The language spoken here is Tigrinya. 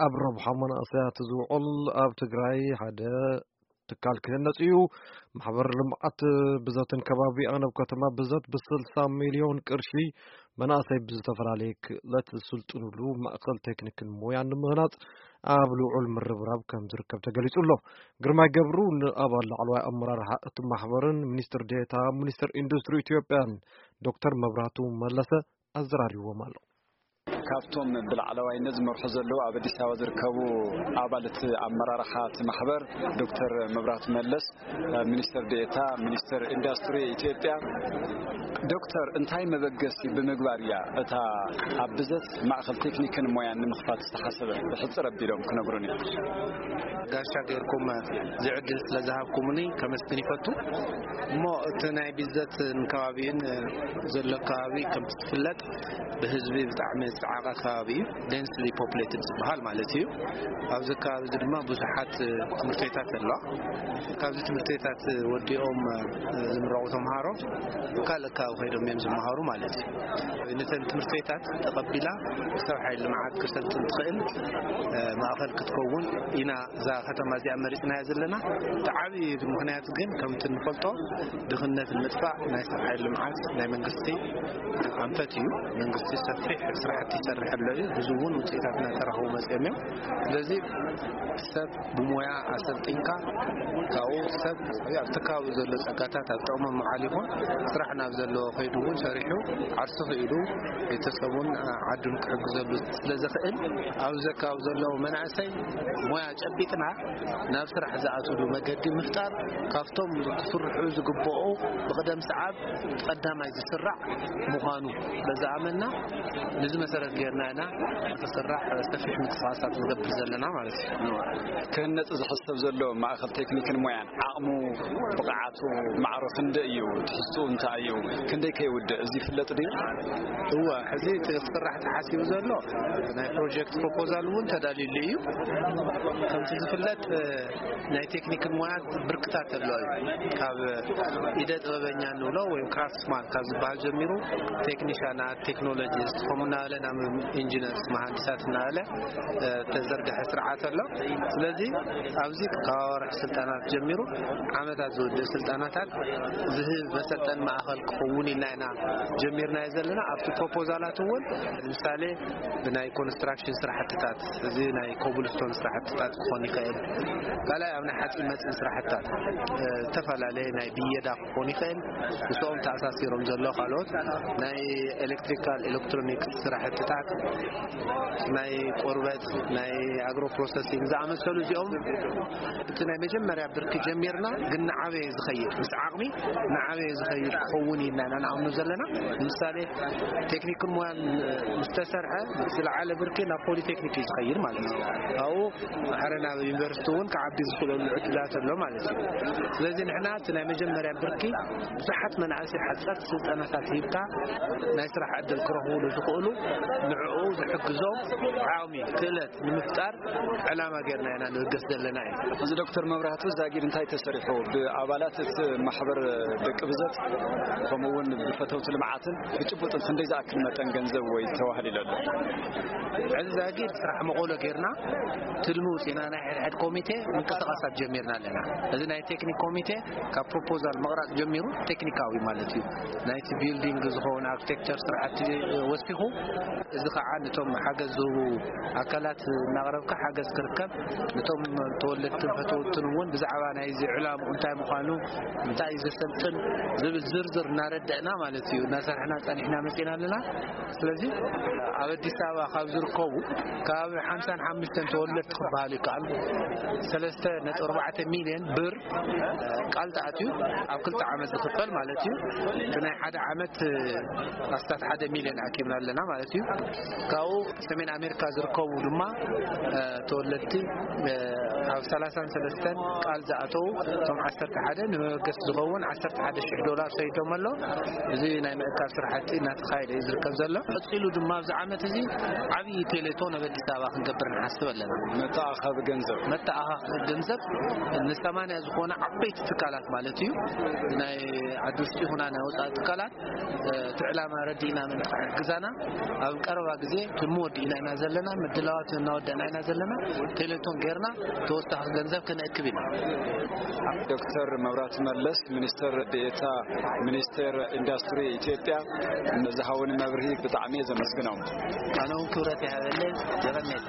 ኣብ ረብሓ መናእሰያት ዝውዕል ኣብ ትግራይ ሓደ ትካል ክህነጽ እዩ። ማሕበር ልምዓት ብዘትን ከባቢኣን ኣብ ከተማ ብዘት ብ60 ሚልዮን ቅርሺ መናእሰይ ብዝተፈላለየ ክእለት ዝስልጥኑሉ ማእኸል ቴክኒክን ሞያን ንምህናጽ ኣብ ልዑል ምርብራብ ከም ዝርከብ ተገሊጹ ኣሎ። ግርማይ ገብሩ ንኣባል ላዕለዋይ ኣመራርሓ እቲ ማሕበርን ሚኒስትር ዴኤታ ሚኒስትር ኢንዱስትሪ ኢትዮጵያን ዶክተር መብራቱ መለሰ ኣዘራሪብዎም ኣሎ። ካብቶም ብላዕለዋይነት ዝመርሑ ዘለዉ ኣብ ኣዲስ ኣበባ ዝርከቡ ኣባል እቲ ኣመራርሓ እቲ ማሕበር ዶክተር መብራቱ መለስ፣ ሚኒስትር ዴኤታ ሚኒስትር ኢንዱስትሪ ኢትዮጵያ፣ ዶክተር፣ እንታይ መበገሲ ብምግባር እያ እታ ኣብ ብዘት ማእኸል ቴክኒክን ሞያን ንምኽፋት ዝተሓሰበ? ብሕጽር ኣቢሎም ክነግሩኒ። ጋሻ ጌርኩም እዚ ዕድል ስለ ዝሃብኩምኒ ከመስግን ይፈቱ። እሞ እቲ ናይ ቢዘትን ከባቢን ዘሎ ከባቢ ከምቲ ዝፍለጥ ብህዝቢ ብጣዕሚ ዝጸዓቐ ከባቢ እዩ። ዴንስሊ ፖፕሌትድ ዝበሃል ማለት እዩ። ኣብዚ ከባቢ እዚ ድማ ብዙሓት ትምህርቲ ቤታት ኣለዋ። ካብዚ ትምህርቲ ቤታት ወዲኦም ዝምረቑ ተምሃሮ ካልእ ከባቢ ከይዶም እዮም ዝመሃሩ ማለት እዩ። ነተን ትምህርቲ ቤታት ተቐቢላ ሰብ ሓይሊ ልምዓት ክሰልጥን ትኽእል ማእኸል ክትከውን ኢና እዛ ከተማ እዚኣ መሪፅናያ ዘለና። እቲ ዓብዪ ምኽንያት ግን ከምቲ እንፈልጦ ድኽነት ንምጥፋእ ናይ ሰብ ሓይሊ ልምዓት ናይ መንግስቲ ኣንፈት እዩ። መንግስቲ ሰፊሕ ስራሕቲ ይሰርሕ ኣሎ እዩ። ብዙ እውን ውፅኢታት እናተረኸቡ መፅኦም እዮም። ስለዚ ሰብ ብሞያ ኣሰልጢንካ ካብኡ ሰብ ኣብቲ ከባቢ ዘሎ ፀጋታት ኣብ ጥቕሚ ምዓል ይኹን ስራሕ ናብ ዘለዎ ከይዱ እውን ሰሪሑ ዓርሱ ክኢሉ ቤተሰቡን ዓዱን ክሕግዘሉ ስለ ዝኽእል ኣብዚ ከባቢ ዘለዉ መናእሰይ ሞያ ጨቢጥና ናብ ስራሕ ዝኣትሉ መገዲ ምፍጣር ካብቶም ክስርሑ ዝግብኦ ብቕደም ሰዓብ ቀዳማይ ዝስራዕ ምዃኑ በዚ ኣመና ነዚ መሰረት ጌርና ኢና ክስራሕ ሰፊሕ ምንቅስቃሳት ንገብር ዘለና ማለት እዩ። ክህነፅ ዝሕሰብ ዘሎ ማእኸል ቴክኒክን ሞያን ዓቕሙ ብቕዓቱ ማዕሮ ክንደይ እዩ? ትሕዝትኡ እንታይ እዩ? ክንደይ ከይውድእ እዚ ይፍለጥ ድዩ? እወ፣ ሕዚ እቲ ክስራሕ ተሓሲቡ ዘሎ ናይ ፕሮጀክት ፕሮፖዛል እውን ተዳልዩሉ እዩ። ከምቲ ዝፍለጥ ናይ ቴክኒክን ሞያን ብርክታት ኣሎ እዩ። ካብ ኢደ ጥበበኛ ንብሎ ወይም ክራፍትስማን ካብ ዝበሃል ጀሚሩ ቴክኒሻናት፣ ቴክኖሎጂስት ከምኡ እናበለ ናብ ኢንጂነርስ መሃንዲሳት እናበለ ተዘርግሐ ስርዓት ኣሎ። ስለዚ ኣብዚ ካብ ኣዋርሕ ስልጠናት ጀሚሩ ዓመታት ዝወድእ ስልጠናታት ዝህብ መሰልጠን ማእኸል ክኸውን ኢልና ኢና ጀሚርናዮ ዘለና። ኣብቲ ፕሮፖዛላት እውን ንምሳሌ ብናይ ኮንስትራክሽን ስራሕትታት እዚ ናይ ኮብልስቶን ስራሕትታት ክኾን ይኽእል። ካልኣይ ኣብ ናይ ሓፂን መፂን ስራሕትታት ዝተፈላለየ ናይ ብየዳ ክኾን ይኽእል። ምስኦም ተኣሳሲሮም ዘሎ ካልኦት ናይ ኤሌክትሪካል ኤሌክትሮኒክስ ስራሕትታት ናይ ቆርበት ናይ ኣግሮ ፕሮሰሲንግ ዝኣመሰሉ እዚኦም እቲ ናይ መጀመርያ ብርኪ ጀሚርና ግን ንዓበየ ዝኸይድ ምስ ዓቕሚ ንዓበየ ዝኸይድ ክኸውን ኢና ኢና ንኣምኑ ዘለና። ንምሳሌ ቴክኒክን ሞያን ምስ ተሰርሐ ዝለዓለ ብርኪ ናብ ፖሊቴክኒክ እዩ ዝኸይድ ማለት እዩ። ኣብኡ ማሕረ ናብ ዩኒቨርሲቲ እውን ክዓቢ ዝኽእለሉ ዕድላት ኣሎ ማለት እዩ። ስለዚ ንሕና እቲ ናይ መጀመርያ ብርኪ ብዙሓት መናእሰይ ሓፀርቲ ስልጠናታት ሂብካ ናይ ስራሕ ዕድል ክረኽብሉ ዝኽእሉ ንዕኡ ዝሕግዞም ዓቕሚ ክእለት ንምፍጣር ዕላማ ጌርና ኢና ንብገስ ዘለና እዩ። እዚ ዶክተር መብራህቱ ዛጊድ እንታይ ተሰሪሑ ብኣባላት እቲ ማሕበር ደቂ ብዘት ከምኡ እውን ብፈተውቲ ልምዓትን ብጭቡጥን ክንደይ ዝኣክል መጠን ገንዘብ ወይ ተዋህሊሉ ኣሎ? ሕዚ ዛጊድ ስራሕ መቐሎ ጌርና ትልሚ ውፅና ናይ ሕድሕድ ኮሚቴ ምንቅስቃሳት ጀሚርና ኣለና። እዚ ናይ ቴክኒክ ኮሚቴ ካብ ፕሮፖዛል መቕራፅ ጀሚሩ ቴክኒካዊ ማለት እዩ ናይቲ ቢልዲንግ ዝኸውን ኣርኪቴክቸር ስራሕቲ ወሲኹ እዚ ከዓ ነቶም ሓገዝ ዝህቡ ኣካላት እናቕረብካ ሓገዝ ክርከብ ነቶም ተወለድትን ፈተውትን እውን ብዛዕባ ናይዚ ዕላምኡ እንታይ ምዃኑ እንታይ እዩ ዘሰልጥን ዝብል ዝርዝር እናረዳእና ማለት እዩ እናሰርሕና ፀኒሕና መፂና ኣለና። ስለዚ ኣብ ኣዲስ ኣበባ ካብ ዝርከቡ ካብ ሓምሳን ሓሙሽተን ተወለድቲ ክበሃል ይከኣል ሰለስተ ነጥቢ ኣርባዕተ ሚልዮን ብር ቃል ተኣትዩ ኣብ ክልተ ዓመት ዝኽፈል ማለት እዩ። እቲ ናይ ሓደ ዓመት ኣስታት ሓደ ሚልዮን ኣኪብና ኣለና ማለት እዩ። ካብኡ ሰሜን ኣሜሪካ ዝርከቡ ድማ ተወለድቲ ኣብ ሰላሳን ሰለስተን ቃል ዝኣተዉ እቶም ዓሰርተ ሓደ ንመበገሲ ዝኸውን ዓሰርተ ሓደ ሽሕ ዶላር ሰይዶም ኣሎ። እዚ ናይ ምእካብ ስራሕቲ እናተኻየደ እዩ ዝርከብ ዘሎ። ቀፂሉ ድማ ኣብዚ ዓመት እዚ ዓብዪ ቴሌቶን ኣብ ኣዲስ ኣበባ ክንገብር ንሓስብ ኣለና። መተኣኻቢ ገንዘብ መተኣኻኸቢ ገንዘብ ንሰማንያ ዝኾነ ዓበይቲ ትካላት ማለት እዩ ናይ ዓዲ ውሽጢ ይኹና ናይ ወፃኢ ትካላት እቲ ዕላማ ረዲእና ምእንቲ ክሕግዛና ኣብ ቀረባ እዚ ትምወድ ኢና ኢና ዘለና፣ ምድላዋት እናወደና ኢና ዘለና። ቴሌቶን ጌርና ተወሳኺ ገንዘብ ክነእክብ ኢና። ዶክተር መብራት መለስ፣ ሚኒስትር ዴኤታ ሚኒስቴር ኢንዱስትሪ ኢትዮጵያ፣ ንዝሃውን መብርሂ ብጣዕሚ እየ ዘመስግኖም። ኣነ እውን ክብረት ይሃበለይ። ዘበነት